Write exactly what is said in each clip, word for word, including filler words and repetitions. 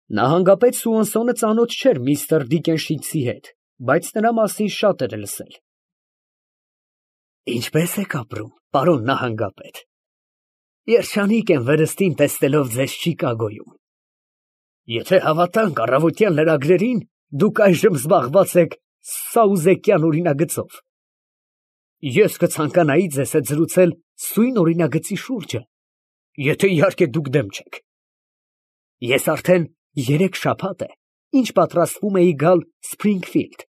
Նահանգապետ Սուանսոնը ծանոթ չէր միստր Դիկենշիցի հետ, բայց նրա մասին շատ էր լսել։ Ինչպե՞ս եք ապրում, պարոն նահանգապետ, երջանիկ եմ վրըստին տեսնելով ձեզ Չիկագոյում։ Եթե հավատանք առավոտյան լրագրերին, դուք այժմ զբաղված եք սաուզեկյան օրինագծով։ Ես կցանկանայի ձեզ հետ զրուցել սույն օրինագծի շուրջը, եթե իհարկե դուք դեմ չեք։ Ես արդեն երեք շաբաթ է, ինչ պատրաստվում էի գալ Սփրինգֆիլդ,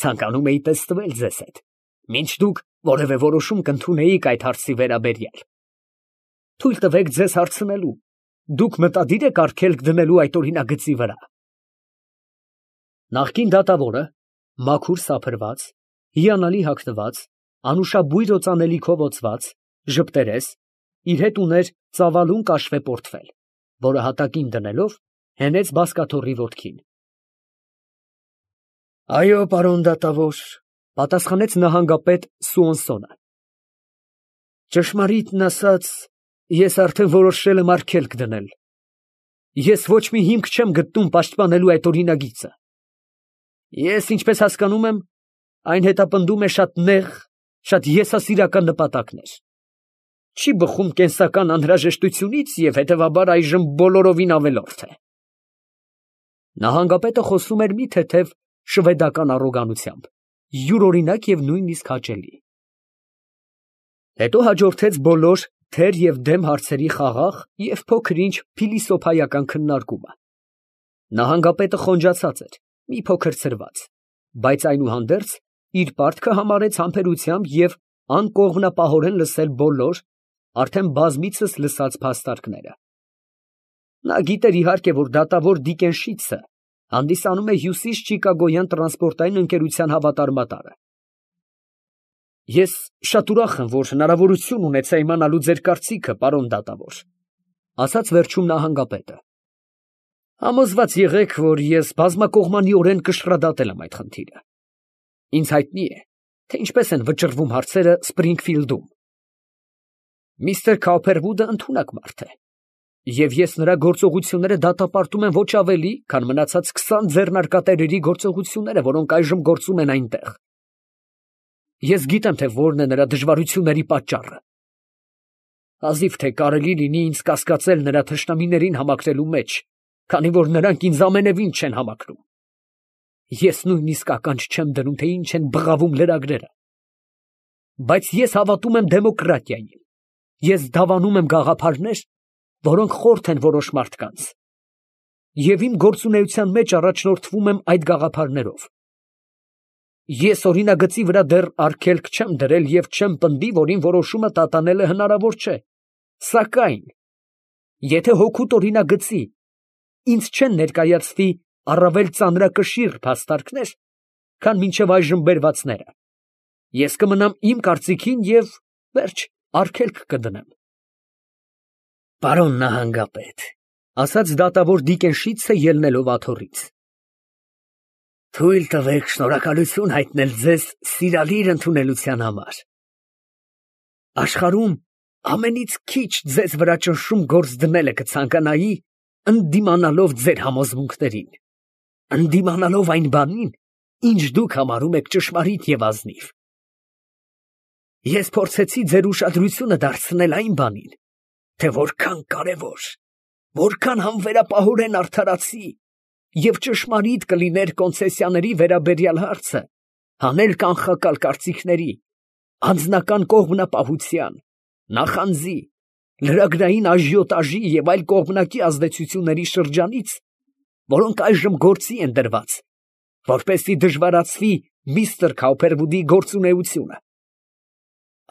ցանկանում էի տեսնվել ձեզ հետ, մինչ դուք որևէ որոշում կընդունեիք այդ հարցի վերաբերյալ։ Թույլ տվեք ձեզ հարցնելու, դուք մտադիր եք արգելք դնելու այդ օրինագծի վրա։ Նախկին դատավորը, մաքուր սափրված, հիանալի հագնված, անուշաբույր օծանելիքով օծված, ժպտերես, իր հետ ուներ ծավալուն կաշվե պորտֆել, որը հատակին դնելով հենեց բազկաթոռի ոտքին։ Այո, պարոն դատավոր, պատասխանեց նահանգապետ Սուանսոնը։ Ճշմարիտն ասած, ես արդեն որոշել եմ արգելք դնել։ Ես ոչ մի հիմք չեմ գտնում պաշտպանելու այդ օրինագիծը։ Ես, ինչպես հասկանում եմ, այն հետապնդում է շատ նեղ, շատ եսասիրական նպատակներ։ Չի բխում կենսական անհրաժեշտությունից և հետևաբար այժմ բոլորովին ավելորդ է։ Նահանգապետը խոսում էր մի թեթև շվեդական առոգանությամբ, յուրօրինակ և նույնիսկ հաճելի։ Հետո հաջորդեց բոլոր թեր և դեմ հարցերի խաղաղ և փոքր-ինչ փիլիսոփայական քննարկումը։ Նահանգապետը խոնջացած էր, մի փոքր ցրված, բայց այնուհանդերձ իր պարտքը համարեց համբերությամբ և անկողմնապահորեն լսել բոլոր, արդեն բազմիցս լսած փաստարկները։ Նա գիտեր իհարկե, որ դատավոր Դիկենշիցը հանդիսանում է Հյուսիս Չիկագոյան տրանսպորտային ընկերության հավատարմատարը։ Ես շատ ուրախ եմ, որ հնարավորություն ունեցա իմանալու ձեր կարծիքը, պարոն դատավոր, ասաց վերջում նահանգապետը։ Համոզված եղեք, որ ես բազմակողմանիորեն կշռադատել եմ այդ խնդիրը։ Ինձ հայտնի է, թե ինչպես են վճռվում հարցերը Սփրինգֆիլդում։ Միստր Քոուփերվուդը ընդունակ մարդ է, և ես նրա գործողությունները դատապարտում եմ ոչ ավելի, քան մնացած քսան ձեռնարկատերերի գործողությունները, որոնք այժմ գործում են այնտեղ։ Ես գիտեմ, թե որն է նրա դժվարությունների պատճառը։ Հազիվ թե կարելի լինի ինձ կասկածել նրա թշնամիներին համակրելու մեջ, քանի որ նրանք ինձ ամենևին չեն համակրում։ Ես նույնիսկ ականջ չեմ դնում, թե ինչ են բղավում լրագրերը։ Բայց ես հավատում եմ դեմոկրատիային։ Ես դավանում եմ գաղափարներ, որոնք խորթ են որոշ մարդկանց, և իմ գործունեության մեջ առաջնորդվում եմ այդ գաղափարներով։ Ես օրինագծի վրա դեռ արգելք չեմ դրել և չեմ պնդի, որ իմ որոշումը տատանելը հնարավոր չէ, սակայն, եթե հօգուտ օրինագծի ինձ չեն ներկայացվի առավել ծանրակշիռ փաստարկներ, քան մինչև այժմ բերվածները, ես կմնամ իմ կարծիքին և վերջ, արգելք կդնեմ։ Պարոն նահանգապետ, ասաց դատավոր Դիկենշիցը ելնելով աթոռից, թույլ տվեք շնորհակալություն հայտնել ձեզ սիրալիր ընդունելության համար։ Աշխարհում ամենից քիչ ձեզ վրա ճնշում գործ դնելը կցանկանայի, ընդդիմանալով ձեր համոզմունքներին, ընդդիմանալով այն բանին, ինչ դուք համարում եք ճշմարիտ և ազնիվ։ Ես փորձեցի ձեր ուշադրությունը դարձնել այն բանին, թե որքան կարևոր, որքան համբերապահորեն արդարացի և ճշմարիտ կլիներ կոնցեսիաների վերաբերյալ հարցը, հանել կանխակալ կարծիքների, անձնական կողմնապահության, նախանձի, լրագրային աժիոտաժի և այլ կողմնակի ազդեցությունների շրջանից, որոնք այժմ գործի են դրված, որպեսզի դժվարացվի միստր Քոուփերվուդի գործունեությունը։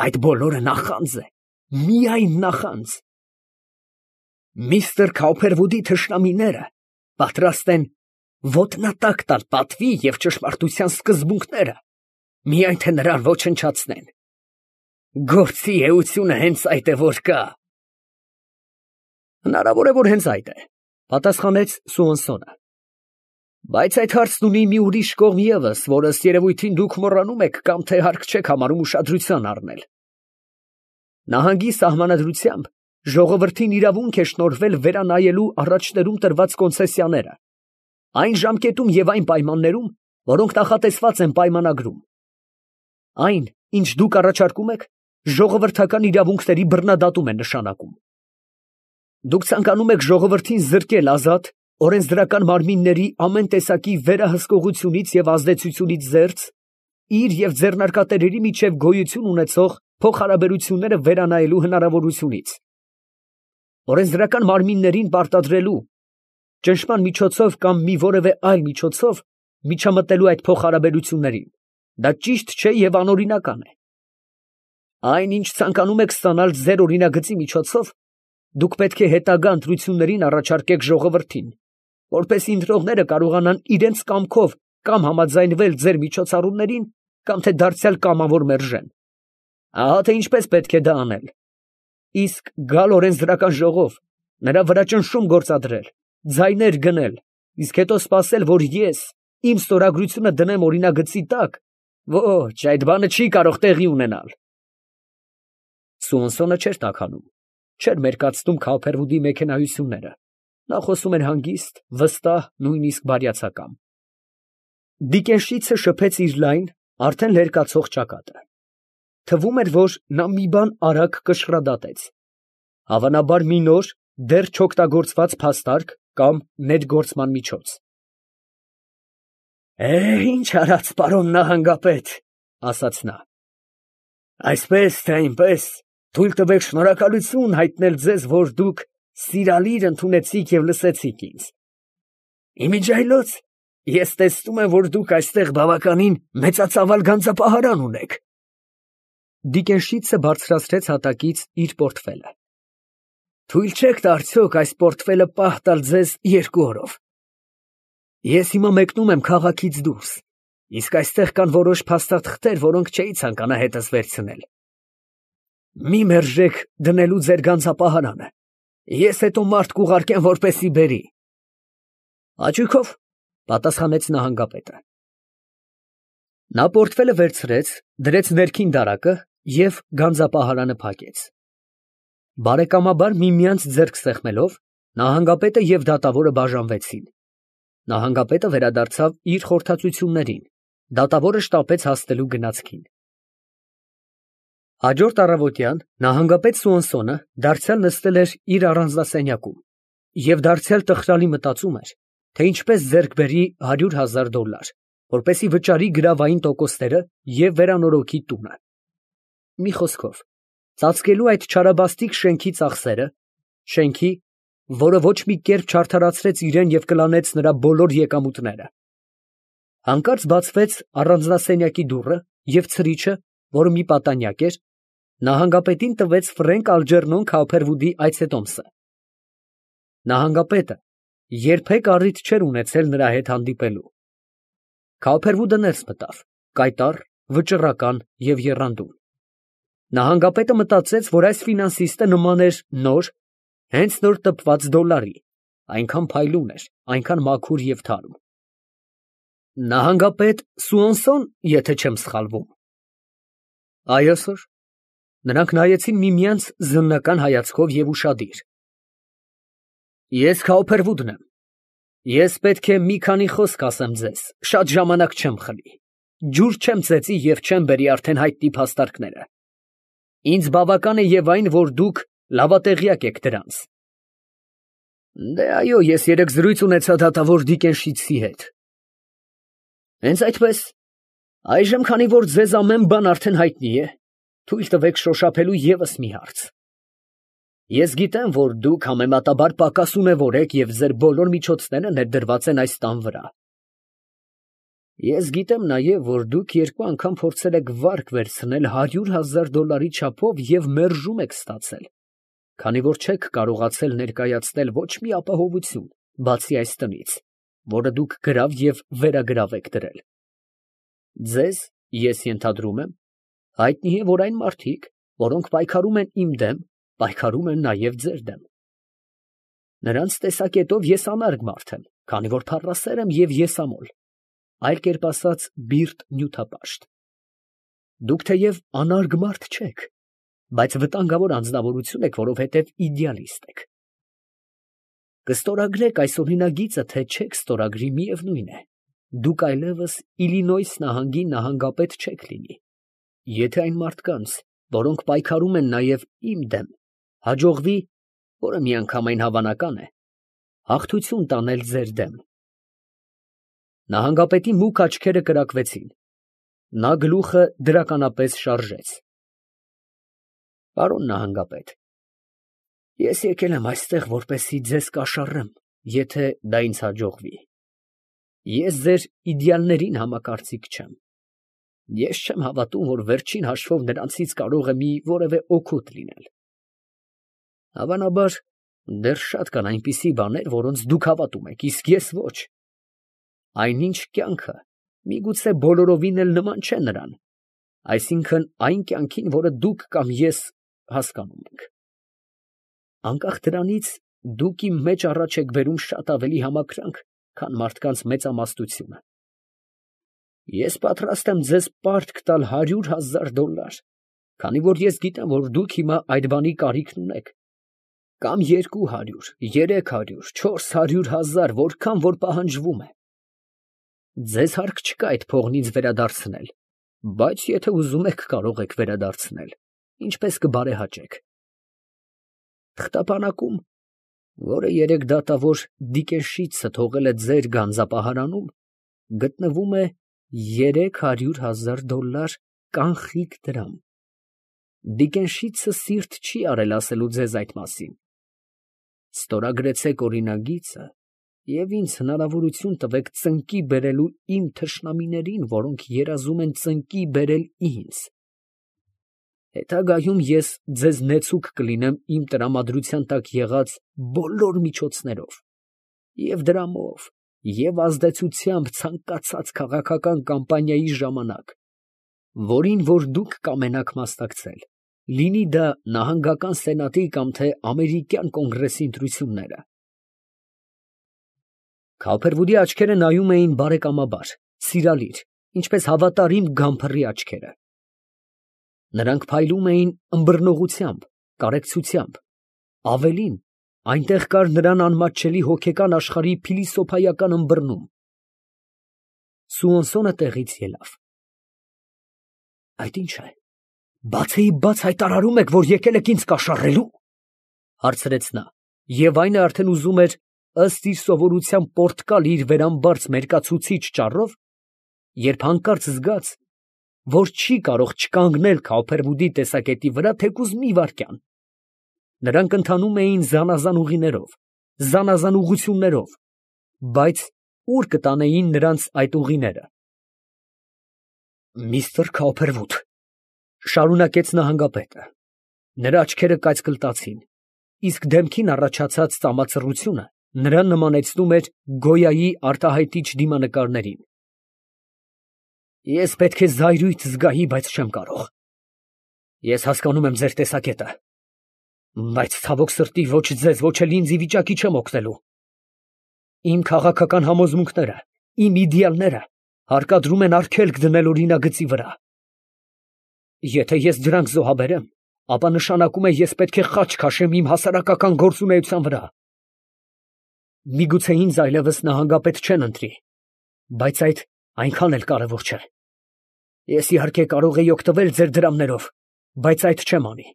Այդ բոլորը նախանձ է, միայն նախանձ։ Միստր Քոուփերվուդի թշնամիները պատրաստ են ոտնատակ տալ պատվի և ճշմարտության սկզբունքները, միայն թե նրան ոչնչացնեն։ Գործի էությունը հենց այդ է, որ կա։ Հնարավոր է, որ հենց այդ է, պատասխանեց Սուանսոնը։ Բայց այդ հարցն ունի մի ուրիշ կողմ ևս, որ ըստ երևույթին դուք մոռանում եք կամ թե հարկ չեք համարում ուշադրության առնել։ Նահանգի սահմանադրությամբ ժողովրդին իրավունք է շնորհվել վերանայելու առաջներում տրված կոնցեսիաները, այն ժամկետում և այն պայմաններում, որոնք նախատեսված են պայմանագրում։ Այն, ինչ դուք առաջարկում եք, ժողովրդական իրավունքների բռնադատում է նշանակում։ Դուք ցանկանում եք ժողովրդին զրկել ազատ, օրենսդրական մարմինների ամեն տեսակի վերահսկողությունից և ազդեցությունից զերծ, իր և ձեռնարկատերերի միջև գոյություն ունեցող փոխհարաբերությունները վերանայելու հնարավորությունից, օրենսդրական մարմիններին պարտադրելու, ճնշման միջոցով կամ մի որևէ այլ միջոցով միջամտելու այդ փոխհարաբերություններին, դա ճիշտ չէ և անօրինական է։ Այն, ինչ ցանկանում եք ստանալ ձեր օրինագծի միջոցով, դուք պետք է հետագա ընտրություններին առաջարկեք ժողովրդին, որպեսզի ընտրողները կարողանան իրենց կամքով կամ համաձայնվել ձեր միջոցառումներին, կամ թե դարձյալ կամավոր մերժեն։ Ահա թե ինչպես պետք է դա անել։ Իսկ գալ օրենսդրական ժողով, նրա վրա ճնշում գործադրել, ձայներ գնել, իսկ հետո սպասել, որ ես իմ ստորագրությունը դնեմ օրինագծի տակ, ոչ, այդ բանը չի կարող տեղի ունենալ։ Սուանսոնը չէր տաքանում, չէր մերկացնում Քալփերվուդի մեքենայությունները, նա խոսում էր հանգիստ, վստահ, նույնիսկ բարյացակամ։ Դիկենշիցը շփեց իր լայն, արդեն լերկացող ճակատը։ Թվում էր, որ նա մի բան արագ կշռադատեց, հավանաբար մի նոր, դեռ չօգտագործված փաստարկ կամ ներգործման միջոց։ ֊ Է, ի՞նչ արած, պարոն նահանգապետ, ֊ ասաց նա. ֊ այսպես թե այնպես, թույլ տվեք շնորհակալություն հայտնել ձեզ, որ դուք սիրալիր ընդունեցիք և լսեցիք ինձ. իմիջիայլոց ես տեսնում եմ, որ դուք այստեղ բավականին մեծածավալ գանձապահարան ունեք։ Դիկենշիցը բարձրացրեց հատակից իր պորտֆելը։ Թույլ չեք տա արդյոք այս պորտֆելը պահ տալ ձեզ երկու օրով։ Ես հիմա մեկնում եմ քաղաքից դուրս, իսկ այստեղ կան որոշ փաստաթղթեր, որոնք չէի ցանկանա հետս վերցնել։ Մի մերժեք դնելու ձեր գանձապահարանը, ես հետո մարդ կուղարկեմ, որպեսզի բերի։ Հաճույքով, պատասխանեց նահանգապետը։ Նա պորտֆելը վերցրեց, դրեց ներքին դարակը և գանձապահարանը փակեց։ Բարեկամաբար միմյանց ձեռք սեղմելով, նահանգապետը և դատավորը բաժանվեցին։ Նահանգապետը վերադարձավ իր խորհրդածություններին, դատավորը շտապեց հասնելու գնացքին։ Հաջորդ առավոտյան նահանգապետ Սուանսոնը դարձյալ նստել էր իր առանձնասենյակում և դարձյալ տխրալի մտածում էր, թե ինչպես ձեռք բերի հարյուր հազար դոլար, որպեսզի վճարի գրավային տոկոսները և վերանորոգի տունը։ Մի խոսքով, ծածկելու այդ չարաբաստիկ շենքի ծախսերը, շենքի, որը ոչ մի կերպ չարդարացրեց իրան և կլանեց նրա բոլոր եկամուտները։ Հանկարծ բացվեց առանձնասենյակի դուռը և ցրիչը, որը մի պատանյակ էր, նահանգապետին տվեց Ֆրենկ Ալջերնոն Քալփերվուդի այցետոմսը։ Նահանգապետը երբեք առիթ չէր ունեցել նրա հետ հանդիպելու։ Քալփերվուդը ներս մտավ, կայտառ, վճռական և եռանդուն։ Նահանգապետը մտածեց, որ այս ֆինանսիստը նման էր նոր, հենց նոր տպված դոլարի, այնքան փայլուն էր, այնքան մաքուր և թարմ։ Նահանգապետ Սուանսո՞ն, եթե չեմ սխալվում։ Այո, սըր։ Նրանք նայեցին միմյանց զննական հայացքով և ուշադիր։ Ես Քալփերվուդն եմ։ Ես պետք է մի քանի խոսք ասեմ ձեզ, շատ ժամանակ չեմ խլի, ջուր չեմ ծեծի և չեմ բերի արդեն հայտնի փաստարկները։ Ինձ բավական է և այն, որ դուք լավատեղյակ եք դրանց։ Դե այո, ես երեկ զրույց ունեցա դատավոր Դիկենշիցի հետ։ Հենց այդպես։ Այժմ, քանի որ ձեզ ամեն բան արդեն հայտնի է, թույլ տվեք շոշափելու ևս մի հարց։ Ես գիտեմ, որ դուք համեմատաբար պակաս ունևոր եք և ձեր բոլոր միջոցները ներդրված են այս տան վրա։ Ես գիտեմ նաև, որ դուք երկու անգամ փորձել եք վարկ վերցնել հարյուր հազար դոլարի չափով և մերժում եք ստացել, քանի որ չեք կարողացել ներկայացնել ոչ մի ապահովություն, բացի այս տնից, որը դուք գրավ և վերագրավ եք դրել։ Ձեզ, ես ենթադրում եմ, հայտնի է, որ այն մարդիկ, որոնք պայքարում են իմ դեմ, պայքարում են նաև ձեր դեմ։ Նրանց տեսակետով ես անարգ մարդ եմ, քանի որ փառասեր եմ և եսամոլ, այլ կերպ ասած, բիրտ նյութապաշտ։ Դուք թեև անարգ մարդ չեք, բայց վտանգավոր անձնավորություն եք, որովհետև իդեալիստ եք։ Կստորագրեք այս օրինագիծը, թե չեք ստորագրի, միևնույն է, դուք այլևս Իլինոյս նահանգի նահանգապետ չեք լինի։ Եթե այն մարդկանց, որոնք պայքարում են նաև իմ դեմ, հաջողվի, որը միանգամայն հավանական է, հաղթություն տանել ձեր դեմ։ Նահանգապետի մուգ աչքերը կրակվեցին, նա գլուխը դրականապես շարժեց։ Պարոն նահանգապետ, ես եկել եմ այստեղ, որպեսզի ձեզ կաշառեմ, եթե դա ինձ հաջողվի։ Ես ձեր իդեալներին համակարծիք չեմ։ Ես չեմ հավատում, որ վերջին հաշվով նրանցից կարող է մի որևէ օգուտ լինել։ Հավանաբար, դեռ շատ կան այնպիսի բաներ, որոնց դուք հավատում եք, իսկ ես ոչ։ Այնինչ կյանքը միգուցե բոլորովին էլ նման չէ նրան, այսինքն այն կյանքին, որը դուք կամ ես հասկանում ենք։ Անկախ դրանից, դուք իմ մեջ առաջ եք բերում շատ ավելի համակրանք, քան մարդկանց մեծամասնությունը։ Ես պատրաստ եմ ձեզ պարտք տալ հարյուր հազար դոլար, քանի որ ես գիտեմ, որ դուք հիմա այդ բանի կարիքն ունեք, կամ երկու հարյուր, երեք հարյուր, չորս հարյուր հազար, որքան որ պահանջվում է։ Ձեզ հարկ չկա այդ փողն ինձ վերադարձնել, բայց եթե ուզում եք, կարող եք վերադարձնել, ինչպես կբարեհաճեք։ Թղթապանակում, որը երեք դատավոր Դիկենշիցը թողել է ձեր գանձապահարանում, գտնվում է երեք հարյուր հազար դոլար կանխիկ դրամ։ Դիկենշիցը սիրտ չի արել ասելու ձեզ այդ մասին։ Ստորագրեցեք օրինագիծը և ինձ հնարավորություն տվեք ծնկի բերելու իմ թշնամիներին, որոնք երազում են ծնկի բերել ինձ։ Հետագայում ես ձեզ նեցուկ կլինեմ իմ տրամադրության տակ եղած բոլոր միջոցներով, և դրամով, և ազդեցությամբ ցանկացած քաղաքական կամպանիայի ժամանակ, որին որ դուք կամենաք մասնակցել, լինի դա նահանգական սենատի կամ թե ամերիկյան կոնգրեսի ընտրությունները։ Քալփերվուդի աչքերը նայում էին բարեկամաբար, սիրալիր, ինչպես հավատարիմ գամփռի աչքերը։ Նրանք փայլում էին ըմբռնողությամբ, կարեկցությամբ, ավելին, այնտեղ կար նրան անմատչելի հոգեկան աշխարհի փիլիսոփայական ըմբռնում։ Սուոնսոնը տեղից ելավ։ Այդ ի՞նչ է, բացեի բաց հայտարարում եք, որ եկել եք ինձ կաշառելու, հարցրեց նա, և այն է արդեն ուզում էր, ըստ իր սովորության, պոռթկալ իր վերամբարձ մերկացուցիչ ճառով, երբ հանկարծ զգաց, որ չի կարող չկանգնել Քալփերվուդի տեսակետի վրա թեկուզ մի վայրկյան։ Նրանք ընթանում էին զանազան ուղիներով, զանազան ուղղություններով, բայց ուր կտանեին նրանց այդ ուղիները։ Միստր Քալփերվուդ, շարունակեց նահանգապետը, նրա աչքերը կայծկլտացին, իսկ դեմքին առաջացած ծամացռությունը նրան նմանեցնում էր Գոյայի արտահայտիչ դիմանկարներին։ Ես պետք է զայրույթ զգայի, բայց չեմ կարող։ Ես հասկանում եմ ձեր տեսակետը, բայց ցավոք սրտի ոչ ձեզ, ոչ էլ ինձ ի վիճակի չեմ օգնելու։ Իմ քաղաքական համոզմունքները, իմ իդեալները հարկադրում են արգելք դնել օրինագծի վրա։ Եթե ես դրանք զոհաբերեմ, ապա նշանակում է ես պետք է խաչ քաշեմ իմ հասարակական գործունեության վրա։ Միգուցե ինձ այլևս նահանգապետ չեն ընտրի, բայց այդ այնքան էլ կարևոր չէ։ Ես իհարկե կարող էի օգտվել ձեր դրամներով, բայց այդ չեմ անի։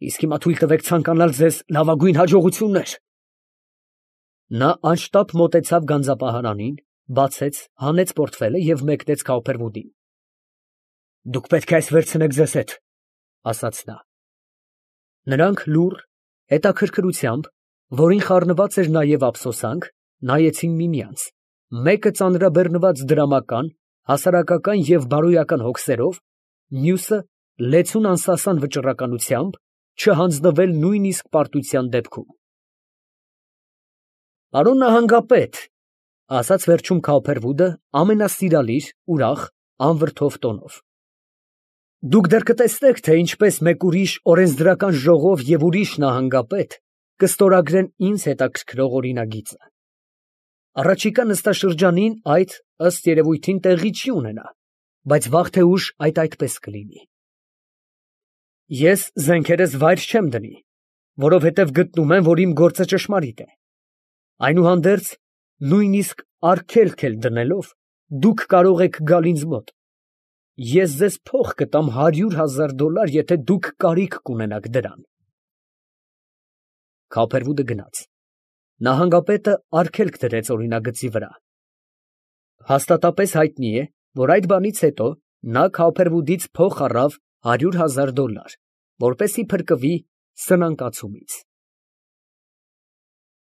Իսկ հիմա թույլ տվեք ցանկանալ ձեզ լավագույն հաջողություններ։ Նա անշտապ մոտեցավ գանձապահարանին, բացեց, հանեց պորտֆելը և մեկնեց Քալփերվուդին։ Դուք պետք է այս վերցնեք ձեզ հետ, ասաց նա։ Նրանք լուռ, հետաքրքրությամբ, որին խառնված էր նաև ափսոսանք, նայեցին միմյանց, մեկը ծանրաբեռնված դրամական, հասարակական և բարոյական հոգսերով, մյուսը լեցուն անսասան վճռականությամբ, չհանձնվել նույնիսկ պարտության դեպքում։ Պարոն նահանգապետ, ասաց վերջում Քալփերվուդը ամենասիրալիր, ուրախ, անվրդով տոնով, դուք դեռ կտեսնեք, թե ինչպես մեկ ուրիշ օրենսդրական ժողով և ուրիշ նահանգապետ կստորագրեն ինձ հետաքրքրող օրինագիծը։ Առաջիկա նստաշրջանին այդ, ըստ երևույթին, տեղի չի ունենա, բայց վաղ թե ուշ այդ այդպես կլինի։ Ես զենքերս վայր չեմ դնի, որովհետև գտնում եմ, որ իմ գործը ճշմարիտ է. այնուհանդերձ, նույնիսկ արգելք էլ դնելով, դուք կարող եք գալ ինձ մոտ. ես ձեզ փող կտամ հարյուր հազար դոլար, եթե դուք կարիք կունենաք դրան։ Քափերվուդը գնաց. նահանգապետը արգելք դրեց օրինագծի վրա։ Հաստատապես հայտնի է, որ այդ բանից հետո նա Քափերվուդից փող առավ հարյուր հազար դոլար, որպեսզի փրկվի սնանկացումից։